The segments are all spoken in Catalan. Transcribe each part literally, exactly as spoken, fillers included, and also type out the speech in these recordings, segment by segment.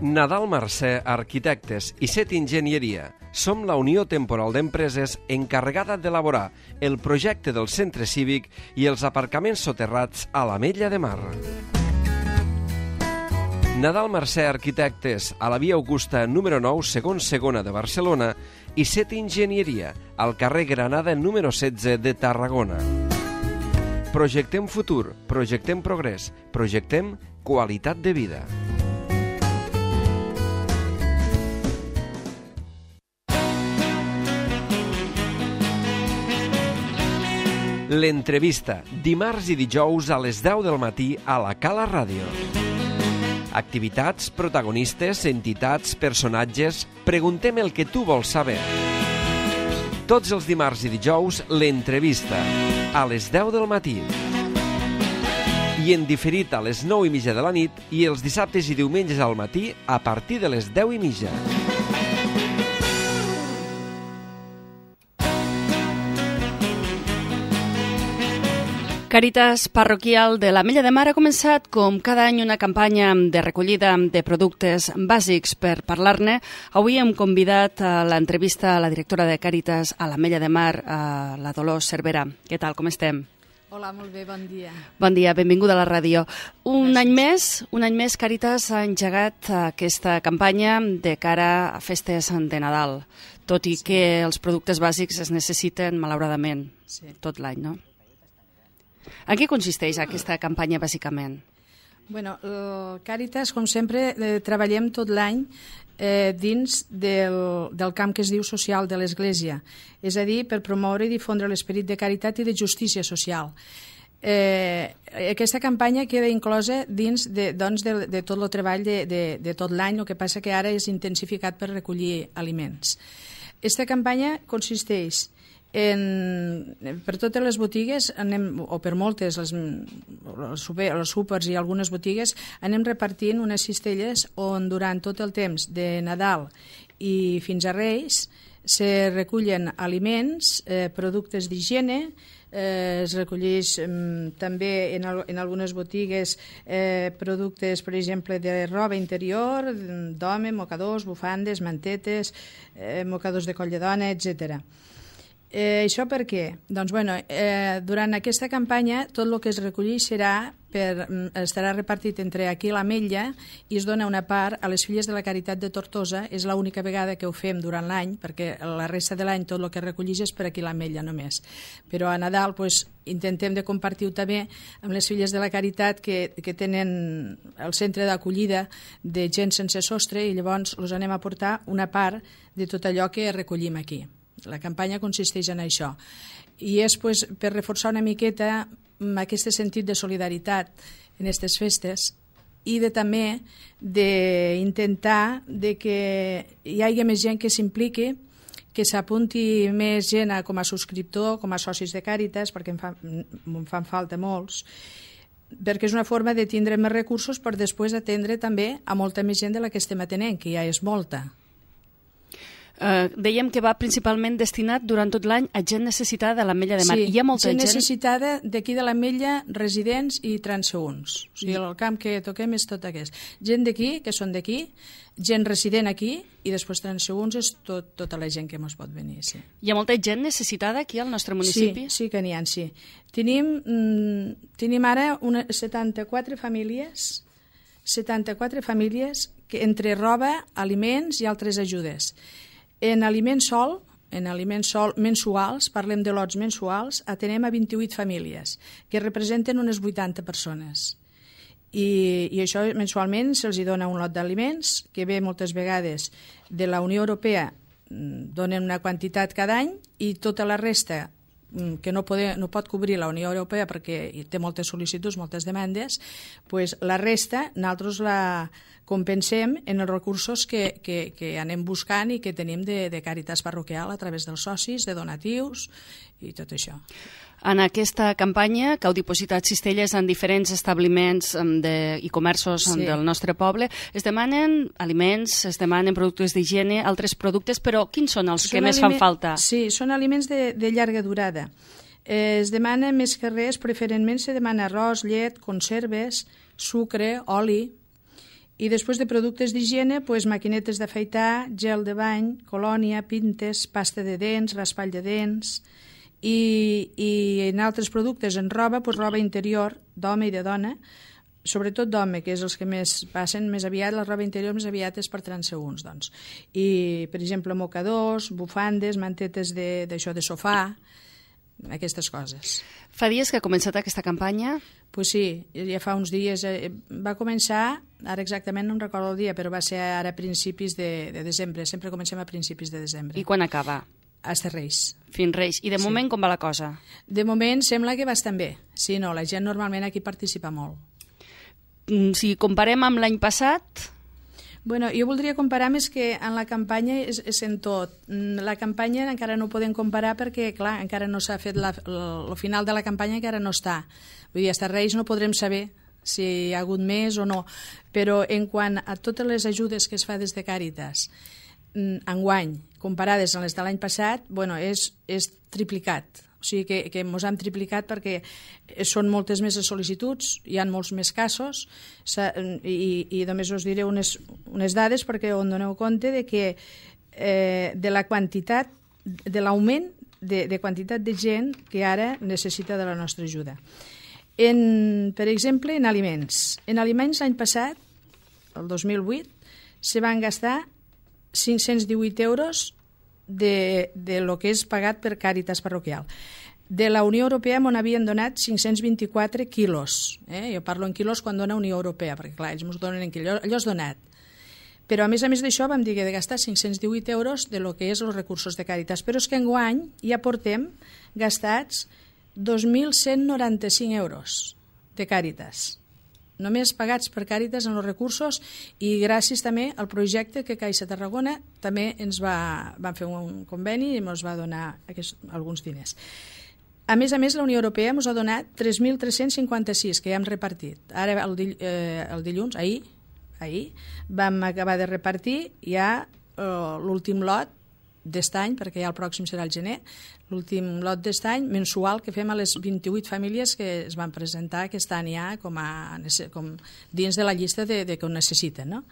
Nadal Mercè Arquitectes i Set Enginyeria. Som la Unió Temporal d'Empreses encarregada d'elaborar el projecte del centre cívic i els aparcaments soterrats a l'Ametlla de Mar. Nadal Mercè Arquitectes, a la via Augusta número nou, segon segona de Barcelona, i Set Enginyeria, al carrer Granada número setze de Tarragona. Projectem futur, projectem progrés, projectem qualitat de vida. L'entrevista, dimarts i dijous a les deu del matí a la Cala Ràdio. Activitats, protagonistes, entitats, personatges... Preguntem el que tu vols saber. Tots els dimarts i dijous, l'entrevista, a les deu del matí. I en diferit a les nou i mitja de la nit i els dissabtes i diumenges al matí a partir de les deu i mitja. Càritas Parroquial de l'Ametlla de Mar ha començat, com cada any, una campanya de recollida de productes bàsics. Per parlar-ne, avui hem convidat a l'entrevista a la directora de Càritas a l'Ametlla de Mar, a la Dolors Cervera. Què tal, com estem? Hola, molt bé, bon dia. Bon dia, benvinguda a la ràdio. Un Gràcies. any més, un any més, Càritas ha engegat aquesta campanya de cara a festes de Nadal, tot i sí. que els productes bàsics es necessiten, malauradament, sí. tot l'any, no? En què consisteix aquesta campanya, bàsicament? Bueno, el Càritas, com sempre, eh, treballem tot l'any eh, dins del, del camp que es diu social de l'Església, és a dir, per promoure i difondre l'esperit de caritat i de justícia social. Eh, aquesta campanya queda inclosa dins de, doncs, de, de tot el treball de, de, de tot l'any, el que passa que ara és intensificat per recollir aliments. Aquesta campanya consisteix En, per totes les botigues, anem, o per moltes, les, els, super, els súpers i algunes botigues, anem repartint unes cistelles on durant tot el temps de Nadal i fins a Reis se recullen aliments, eh, productes d'higiene, eh, es recolleix eh, també en, al, en algunes botigues eh, productes, per exemple, de roba interior, d'home, mocadors, bufandes, mantetes, eh, mocadors de coll de dona, etcètera. Eh, això per què? Doncs, bueno, eh, durant aquesta campanya tot el que es recolleix serà per, estarà repartit entre aquí l'Ametlla i es dona una part a les Filles de la Caritat de Tortosa. És l'única vegada que ho fem durant l'any, perquè la resta de l'any tot el que es recolleix és per aquí l'Ametlla només. Però a Nadal pues, intentem de compartir-ho també amb les Filles de la Caritat que, que tenen el centre d'acollida de gent sense sostre i llavors els anem a portar una part de tot allò que recollim aquí. La campanya consisteix en això i és pues, per reforçar una miqueta aquest sentit de solidaritat en aquestes festes i de, també d'intentar de que hi hagi més gent que s'impliqui, que s'apunti més gent a, com a subscriptor, com a socis de Càritas, perquè em, fa, em fan falta molts, perquè és una forma de tindre més recursos per després atendre també a molta més gent de la que estem atenent, que ja és molta. Uh, dèiem que va principalment destinat durant tot l'any a gent necessitada de l'Ametlla de Mar. Sí, hi ha molta gent, gent necessitada d'aquí de l'Ametlla, residents i transeünts. O sigui, el camp que toquem és tot aquest. Gent d'aquí, que són d'aquí, gent resident aquí i després transeünts és tot, tota la gent que ens pot venir. Sí. Hi ha molta gent necessitada aquí al nostre municipi? Sí, sí que n'hi ha, sí. Tenim, mm, tenim ara una, setanta-quatre famílies, setanta-quatre famílies que, entre roba, aliments i altres ajudes. En aliments sol, en aliments sol mensuals, parlem de lots mensuals, atenem a vint-i-vuit famílies, que representen unes vuitanta persones. I, i això mensualment se'ls dona un lot d'aliments, que ve moltes vegades de la Unió Europea, donen una quantitat cada any, i tota la resta que no, pode, no pot cobrir la Unió Europea perquè té moltes sol·licituds, moltes demandes, pues la resta nosaltres la compensem en els recursos que, que, que anem buscant i que tenim de, de Càritas Parroquial a través dels socis, de donatius i tot això. En aquesta campanya, que heu dipositat cistelles en diferents establiments de, i comerços sí. del nostre poble, es demanen aliments, es demanen productes d'higiene, altres productes, però quins són els són que més fan falta? Sí, són aliments de, de llarga durada. Eh, es demana més que res, preferentment se demana arròs, llet, conserves, sucre, oli, I després de productes d'higiene, pues, maquinetes d'afaitar, gel de bany, colònia, pintes, pasta de dents, raspall de dents, i, i en altres productes, en roba, pues, roba interior d'home i de dona, sobretot d'home, que és els que més passen més aviat, la roba interior més aviat és per transeünts, doncs. I, per exemple, mocadors, bufandes, mantetes d'això de, de sofà, aquestes coses. Fa dies que ha començat aquesta campanya? Pues sí, ja fa uns dies. Eh, va començar, ara exactament no em recordo el dia, però va ser ara a principis de, de desembre. Sempre comencem a principis de desembre. I quan acaba? Hasta Reis. Fins Reis. I de sí. moment com va la cosa? De moment sembla que bastant bé. Sí, no, la gent normalment aquí participa molt. Si comparem amb l'any passat... Bueno, jo voldria comparar més que en la campanya és, és en tot. La campanya encara no ho podem comparar perquè, clar, encara no s'ha fet la, el final de la campanya, encara no està. Vull dir, fins Reis no podrem saber si hi ha hagut més o no. Però en quant a totes les ajudes que es fa des de Càritas, enguany, comparades amb les de l'any passat, bueno, és, és triplicat. O sigui que, que ens han triplicat perquè són moltes més les sol·licituds, hi ha molts més casos, i, i només us diré unes, unes dades perquè on doneu compte de que eh, de la quantitat, de l'augment de, de quantitat de gent que ara necessita de la nostra ajuda. En, per exemple, en aliments. En aliments l'any passat, el dos mil vuit, se van gastar cinc-cents divuit euros de, de lo que és pagat per Càritas parroquial. De la Unió Europea m'on havien donat cinc-cents vint-i-quatre quilos. Eh? Jo parlo en quilos quan dona Unió Europea, perquè clar, ells ens donen en quilos, allò és donat. Però a més a més d'això vam dir que de gastar cinc-cents divuit euros de lo que és els recursos de Càritas. Però és que enguany ja portem gastats dos mil cent noranta-cinc euros de Càritas. Només pagats per Càritas en els recursos, i gràcies també al projecte que Caixa Tarragona també ens va, van fer un conveni i ens va donar aquests, alguns diners. A més a més, la Unió Europea ens ha donat tres mil tres-cents cinquanta-sis que ja hem repartit. Ara, el, dill, eh, el dilluns, ahir, ahir, vam acabar de repartir ja eh, l'últim lot d'est any, perquè ja el pròxim serà el gener, l'últim lot d'est any mensual que fem a les vint-i-vuit famílies que es van presentar aquest any ja com, a, com dins de la llista de, de que ho necessiten. No?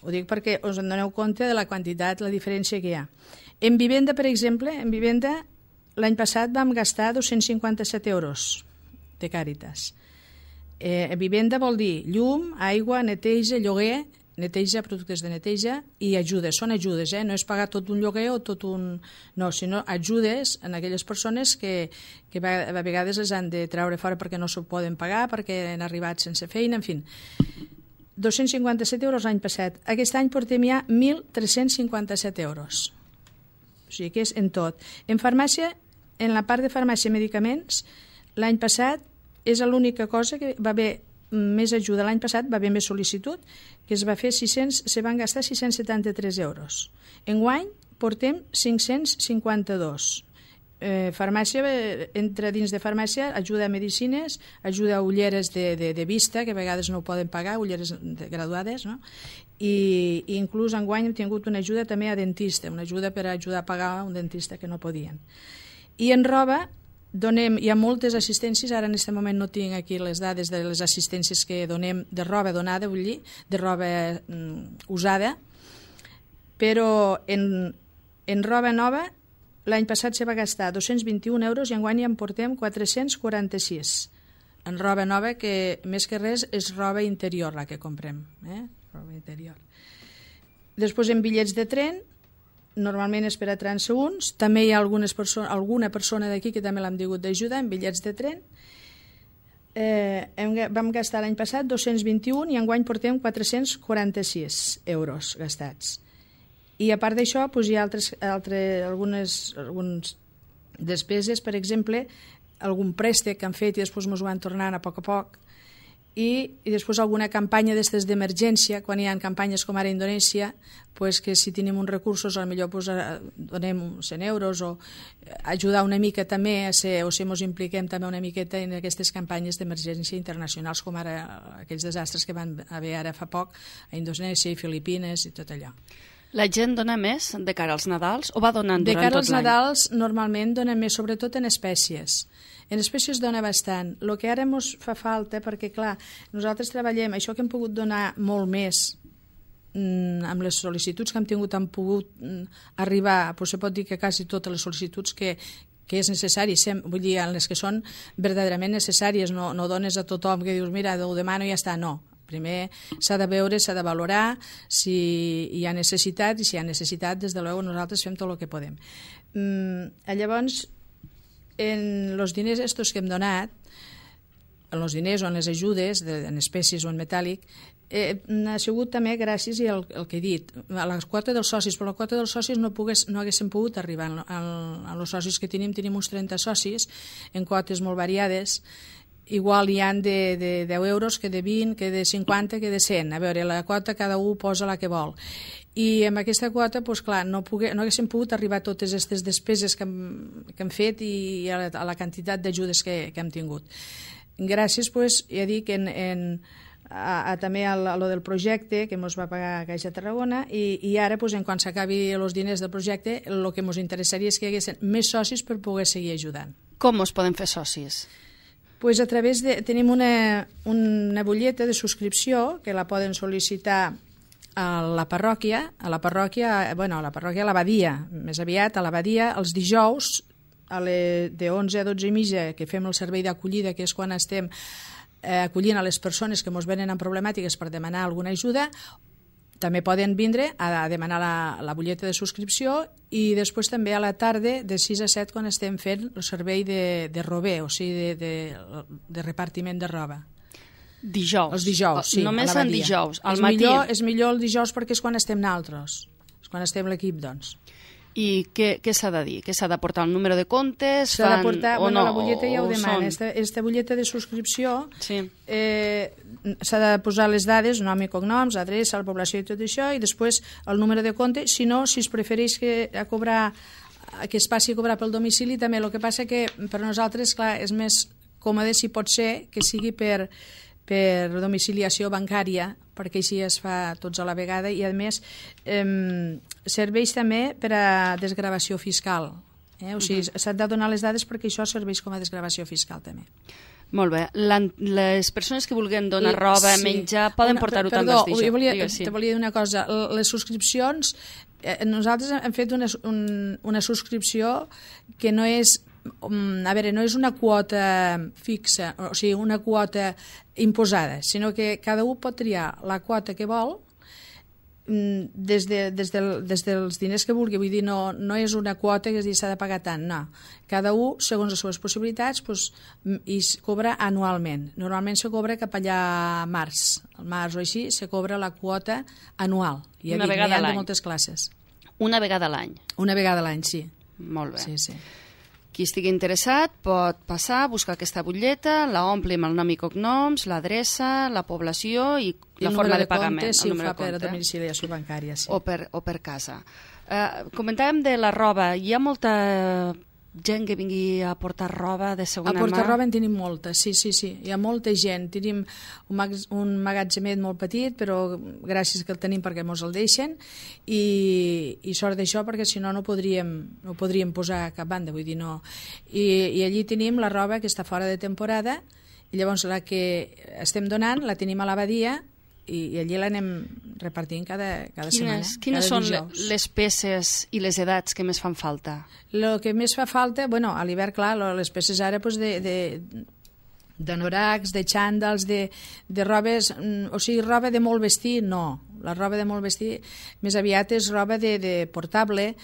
Ho dic perquè us en doneu compte de la quantitat, la diferència que hi ha. En vivenda, per exemple, en vivenda l'any passat vam gastar dos-cents cinquanta-set euros de Càritas. Eh, vivenda vol dir llum, aigua, neteja, lloguer, neteja, productes de neteja i ajudes. Són ajudes, eh? No és pagar tot un lloguer o tot un... No, sinó ajudes en aquelles persones que, que a vegades les han de treure fora perquè no s'ho poden pagar, perquè han arribat sense feina, en fi. dos-cents cinquanta-set euros l'any passat. Aquest any portem ja mil tres-cents cinquanta-set euros. O sigui que és en tot. En farmàcia, en la part de farmàcia i medicaments, l'any passat és l'única cosa que va haver més ajuda. L'any passat va haver més sol·licitud, que es va fer sis-cents, se van gastar sis-cents setanta-tres euros. Enguany portem cinc-cents cinquanta-dos. Eh, farmàcia, entra dins de farmàcia, ajuda a medicines, ajuda a ulleres de, de, de vista, que a vegades no ho poden pagar, ulleres de, graduades, no? I, i inclús enguany hem tingut una ajuda també a dentista, una ajuda per ajudar a pagar un dentista que no podien. I en roba, donem, hi ha moltes assistències, ara en aquest moment no tinc aquí les dades de les assistències que donem de roba donada, vull dir, de roba mm, usada, però en, en roba nova l'any passat se va gastar dos-cents vint-i-un euros i enguany ja en portem quatre-cents quaranta-sis. En roba nova, que més que res és roba interior la que comprem, eh? Roba interior. Després en bitllets de tren, normalment és per a transeünts, també hi ha algunes perso alguna persona d'aquí que també l'hem tingut d'ajudar en bitllets de tren. Eh, hem, vam gastar l'any passat dos-cents vint-i-un i enguany portem quatre-cents quaranta-sis euros gastats. I a part d'això doncs hi ha altres, altres, algunes, algunes despeses, per exemple, algun préstec que han fet i després ens ho van tornant a poc a poc, i, i després alguna campanya d'aquestes d'emergència, quan hi ha campanyes com ara a Indonèsia, pues que si tenim uns recursos potser pues, donem cent euros o ajudar una mica també a ser, o si ens impliquem també una miqueta en aquestes campanyes d'emergència internacionals com ara aquells desastres que van haver ara fa poc a Indonèsia i Filipines i tot allò. La gent dona més de cara als Nadals o va donant De durant cara tot als l'any? Nadals normalment dona més, sobretot en espècies. En espècies dona bastant. El que ara ens fa falta, perquè clar, nosaltres treballem, això que hem pogut donar molt més mm, amb les sol·licituds que hem tingut, han pogut mm, arribar, però se pot dir que quasi totes les sol·licituds que, que és necessari, sem, vull dir, en les que són verdaderament necessàries, no, no dones a tothom que dius, mira, ho demano i ja està, no. Primer s'ha de veure, s'ha de valorar si hi ha necessitat, i si hi ha necessitat, des de luego nosaltres fem tot el que podem. Mm, llavors, en els diners estos que hem donat, en els diners o en les ajudes, de, en espècies o en metàl·lic, eh, ha sigut també gràcies al el que he dit, a la quota dels socis, però la quota dels socis no, pogués, no haguéssim pogut arribar. En els socis que tenim, tenim uns trenta socis, en quotes molt variades. Igual hi han de, de deu euros, que de vint, que de cinquanta, que de cent. A veure, la quota cada un posa la que vol. I amb aquesta quota, doncs clar, no, pogué, no haguéssim pogut arribar a totes aquestes despeses que hem, que hem fet i a la, a la quantitat d'ajudes que, que hem tingut. Gràcies, doncs, ja dic, en, en, a, a, també a, a lo del projecte que ens va pagar Caixa Tarragona i, i ara, doncs, en quan s'acabi els diners del projecte, el que ens interessaria és que hi haguessin més socis per poder seguir ajudant. Com us poden fer socis? Pues a través de... Tenim una, una butlleta de subscripció que la poden sol·licitar a la parròquia, a la parròquia, bueno, a la parròquia, a l'abadia, més aviat a l'abadia, els dijous, a les, de onze a dotze i mitja, que fem el servei d'acollida, que és quan estem eh, acollint a les persones que ens venen amb problemàtiques per demanar alguna ajuda. També poden vindre a demanar la, la butlleta de subscripció i després també a la tarda de sis a set quan estem fent el servei de, de rober, o sigui, de, de, de repartiment de roba. Dijous? Els dijous, sí. Només en dijous, al és matí? Millor, és millor el dijous perquè és quan estem naltros, és quan estem l'equip, doncs. I què, què s'ha de dir? Què s'ha de portar? El número de comptes? S'ha de portar, o bueno, no, la butlleta ja ho demana. són... Esta, esta butlleta de subscripció sí. eh, s'ha de posar les dades, nom i cognoms, adreça, la població i tot això, i després el número de compte. Si no, si es prefereix que, a cobrar, que es passi a cobrar pel domicili, també. El que passa que per nosaltres, clar, és més còmode, si pot ser, que sigui per... per domiciliació bancària, perquè així es fa tots a la vegada, i a més eh, serveix també per a desgravació fiscal. Eh? O sigui, uh-huh. s'han de donar les dades perquè això serveix com a desgravació fiscal també. Molt bé. Les persones que vulguin donar roba, sí. menjar, poden portar-ho també als dijous. Perdó, volia, te volia dir una cosa. Les subscripcions, eh, nosaltres hem fet una, un, una subscripció que no és a veure, no és una quota fixa, o sigui, una quota imposada, sinó que cada un pot triar la quota que vol des, de, des, del, des dels diners que vulgui. Vull dir, no, no és una quota que s'ha de pagar tant, no. Cada un, segons les seves possibilitats, pues, i es cobra anualment. Normalment se cobra cap allà a març. Al març o així se cobra la quota anual. I una dic, vegada a l'any. De moltes classes. Una vegada a l'any. Una vegada a l'any, sí. Molt bé. Sí, sí. Qui estigui interessat pot passar, buscar aquesta butlleta, la ompli amb el nom i cognoms, l'adreça, la població i, I la forma de, de pagament. Compte, si el ho fa per compte. domiciliació bancària, sí. O per, o per casa. Uh, comentàvem de la roba. Hi ha molta gent que vingui a portar roba de segona mà? A portar mà? roba en tenim molta, sí, sí, sí. Hi ha molta gent. Tenim un, mag un magatzemet molt petit, però gràcies que el tenim perquè ens el deixen, i, i sort d'això perquè si no no podríem, no podríem posar a cap banda, vull dir, no. I, I allí tenim la roba que està fora de temporada, i llavors la que estem donant la tenim a l'abadia, i, i allí l'anem repartint cada, cada quines, setmana. Quines cada són dijous. les peces i les edats que més fan falta? El que més fa falta, bueno, a l'hivern, clar, les peces ara pues, de, de, d'anoracs, de xàndals, de, de robes, o sigui, roba de molt vestir, no. La roba de molt vestir més aviat és roba de, de portable,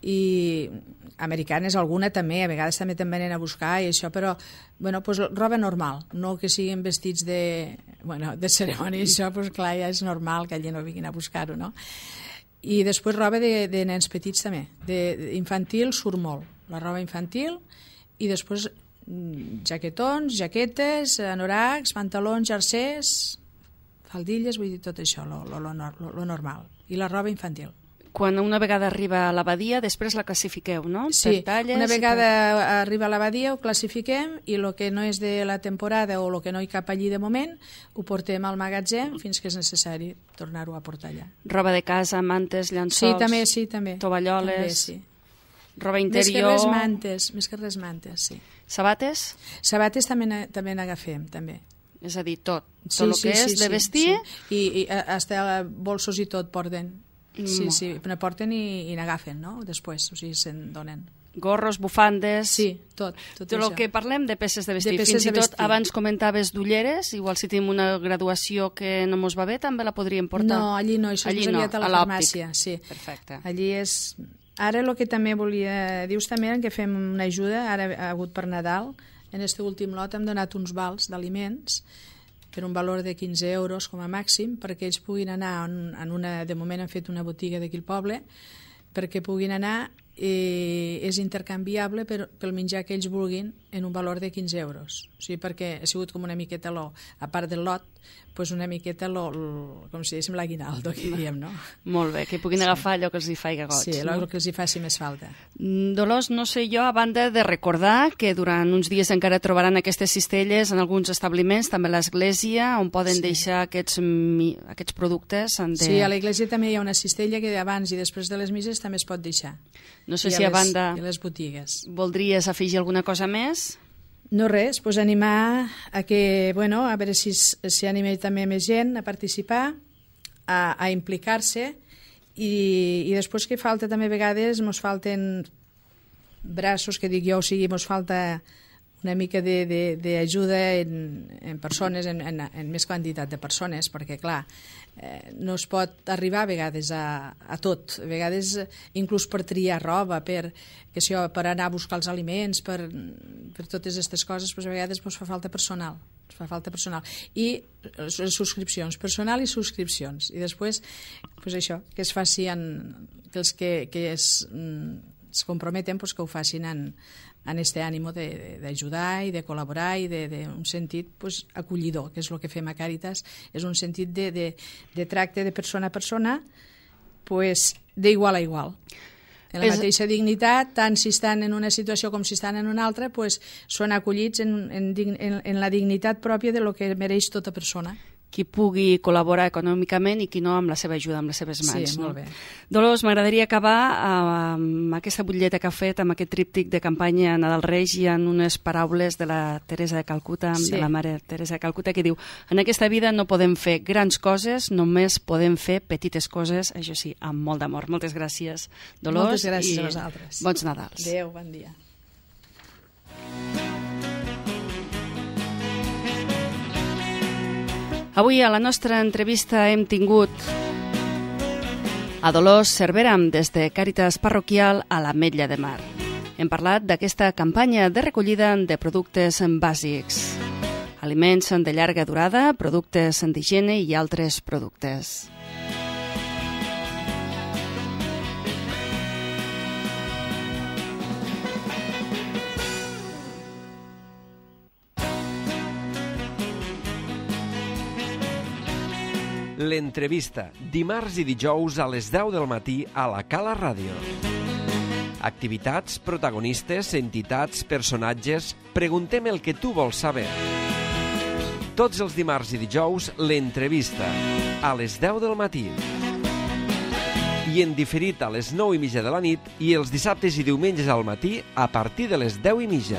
i americanes alguna també, a vegades també te'n venen a buscar i això, però bueno, pues, roba normal, no que siguin vestits de, bueno, de cerimònia, això pues, clar, ja és normal que allà no vinguin a buscar-ho, no? I després roba de, de nens petits també, de, de infantil surt molt, la roba infantil, i després jaquetons, jaquetes, anoracs, pantalons, jersers, faldilles, vull dir tot això, lo, lo, lo, lo normal, i la roba infantil. quan una vegada arriba a l'abadia, després la classifiqueu, no? Sí, per talles, una vegada per... arriba a l'abadia ho classifiquem i el que no és de la temporada o el que no hi cap allí de moment ho portem al magatzem fins que és necessari tornar-ho a portar allà. Roba de casa, mantes, llençols... Sí, també, sí, també. Tovalloles... També, sí. Roba interior... Més que res mantes, més que res mantes, sí. Sabates? Sabates també també n'agafem, també. És a dir, tot. Sí, tot el sí, que és sí, de sí, vestir... Sí. I, i hasta bolsos i tot porten. Sí, Mm. sí, ne porten i, i n'agafen, no? Després, o sigui, se'n donen. Gorros, bufandes... Sí, tot, tot Tot això. el que parlem de peces de vestir. De peces Fins i de tot vestir. abans comentaves d'ulleres, igual si tenim una graduació que no mos va bé, també la podríem portar. No, allí no, això allí és més no, aviat a la a l'òptic. farmàcia. Sí. Perfecte. Allí és... Ara el que també volia... Dius també que fem una ajuda, ara ha hagut per Nadal, en aquest últim lot hem donat uns vals d'aliments per un valor de quinze euros com a màxim, perquè ells puguin anar en, en una... De moment han fet una botiga d'aquí al poble, perquè puguin anar, eh, és intercanviable per, pel menjar que ells vulguin en un valor de quinze euros. O sigui, perquè ha sigut com una miqueta, lo, a part del lot, pues una miqueta, lo, lo, com si diguéssim, l'aguinaldo, que diem, no? Molt bé, que puguin sí. agafar allò que els hi faiga goig. Sí, allò no? que els hi faci més falta. Dolors, no sé jo, a banda de recordar que durant uns dies encara trobaran aquestes cistelles en alguns establiments, també a l'església, on poden sí. deixar aquests, aquests productes. De... Sí, a l'església també hi ha una cistella que abans i després de les misses també es pot deixar. No sé I si a, a les, banda i a les botigues. Voldries afegir alguna cosa més? No res, pues animar a que, bueno, a veure si s'hi anima també més gent a participar, a, a implicar-se i, i després que falta també a vegades, mos falten braços, que dic jo, o sigui, mos falta una mica d'ajuda en, en persones, en, en, en més quantitat de persones, perquè, clar, eh, no es pot arribar a vegades a, a tot. A vegades, inclús per triar roba, per, que si, per anar a buscar els aliments, per, per totes aquestes coses, doncs a vegades ens fa falta personal. Ens fa falta personal. I les subscripcions, personal i subscripcions. I després, doncs això, que es faci en, que els que, que es, es comprometen, doncs que ho facin en en este ànimo d'ajudar i de col·laborar i d'un sentit pues, acollidor, que és el que fem a Càritas, és un sentit de, de, de tracte de persona a persona pues, d'igual a igual. En la és... mateixa dignitat, tant si estan en una situació com si estan en una altra, pues, són acollits en, en, en, en la dignitat pròpia de lo que mereix tota persona. Qui pugui col·laborar econòmicament i qui no amb la seva ajuda, amb les seves mans. Sí, molt bé. Dolors, m'agradaria acabar amb aquesta butlleta que ha fet, amb aquest tríptic de campanya Nadal Reis i en unes paraules de la Teresa de Calcuta, sí. de la mare Teresa de Calcuta, que diu: en aquesta vida no podem fer grans coses, només podem fer petites coses, això sí, amb molt d'amor. Moltes gràcies, Dolors. Moltes gràcies a vosaltres. Bons Nadals. Adéu, bon dia. Avui a la nostra entrevista hem tingut a Dolors Cervera des de Càritas Parroquial a l'Ametlla de Mar. Hem parlat d'aquesta campanya de recollida de productes bàsics, aliments de llarga durada, productes d'higiene i altres productes. L'entrevista, dimarts i dijous a les deu del matí a la Cala Ràdio. Activitats, protagonistes, entitats, personatges... Preguntem el que tu vols saber. Tots els dimarts i dijous, l'entrevista, a les deu del matí. I en diferit a les nou i mitja de la nit i els dissabtes i diumenges al matí a partir de les deu i mitja.